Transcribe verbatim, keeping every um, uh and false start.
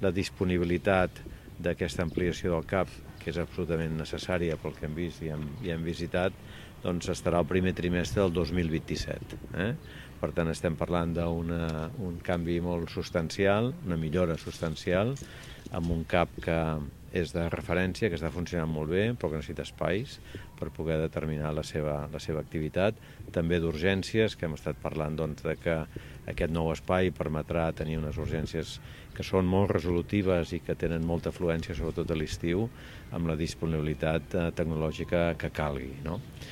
la disponibilitat d'aquesta ampliació del CAP, que és absolutament necessària pel que hem vist i hem, i hem visitat, doncs estarà el primer trimestre del dos mil vint-i-set. Eh? Per tant, estem parlant d'un canvi molt substancial, una millora substancial, amb un CAP que és de referència, que està funcionant molt bé, però que necessita espais per poder determinar la seva, la seva activitat. També d'urgències, que hem estat parlant doncs, de que aquest nou espai permetrà tenir unes urgències que són molt resolutives i que tenen molta afluència, sobretot a l'estiu, amb la disponibilitat tecnològica que calgui, no?